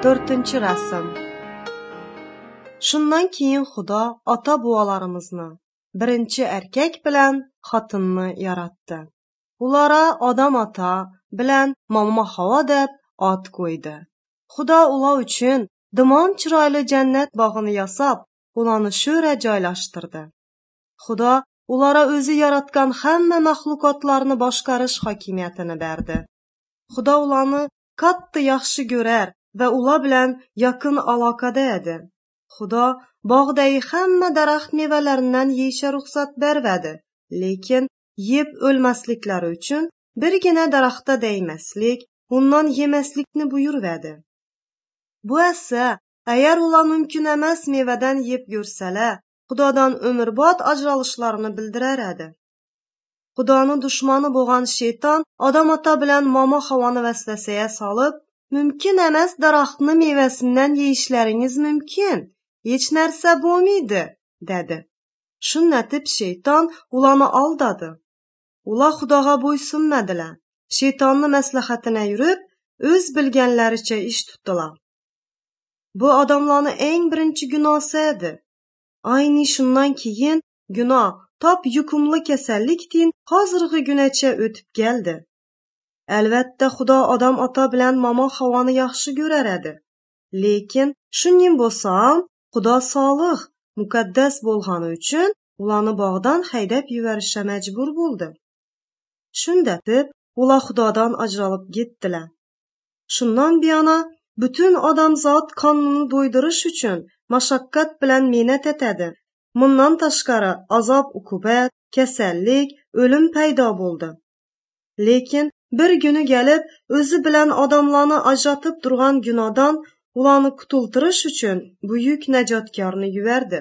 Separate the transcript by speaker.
Speaker 1: To'rtinchi rasm. Shundan keyin Xudo ota-bobolarimizni, birinchi erkak bilan xotinni yaratdi. Ulara Odam ota bilan Momo Havo deb ot qo'ydi. Xudo ular uchun dimon chiroyli jannat bog'ini yasab, ularni sho'ra joylashtirdi. Xudo ulara o'zi yaratgan hamma maxluqotlarni boshqarish hokimiyatini berdi. Xudo ularni katta yaxshi ko'rar va ular bilan yaqin aloqada edi. Xudo bog'dagi hamma daraxt mevalaridan yeyishga ruxsat bermadi, lekin yeb o'lmasliklari uchun birgina daraxtga degmaslik, undan yemaslikni buyurvadi. Bu esa, agar ular mumkin emas mevadan yeb ko'rsalar, Xudodan umrbod ajralishlarini bildirar edi. Xudoni dushmani bo'lgan shayton Odam ota bilan Momo Havoni vasvasaga solib, mumkin emas daraxtni mevasidan yeyishlaringiz mumkin, hech narsa bo'lmaydi, dedi. Shundatib shayton ularni aldadi. Ular Xudoga bo'ysunmadilar. Shaytonni maslahatini yurib, o'z bilganlaricha ish tutdilar. Bu odamlarning eng birinchi gunosi edi. Ayni shundan keyin gunoh top yuqumli kasallikdin hozirgi gunacha o'tib keldi. Albatta Xudo Odam ota bilan Momo Havoni yaxshi ko'rar edi. Lekin shuning bo'lsa ham Xudo solih, muqaddas bo'lgani uchun ularni bog'dan haydab yuborishga majbur bo'ldi. Shundatib ular Xudodan ajralib ketdilar. Shundan buyona butun odamzod qonunni do'ydirish uchun mashaqqat bilan mehnat etadi. Bundan tashqari azob-uqubat, kasallik, o'lim paydo bo'ldi. Lekin bir kuni kelib o'zi bilan odamlarni ajratib turgan gunohdan ularni qutultirish uchun buyuk najotkorni yubordi.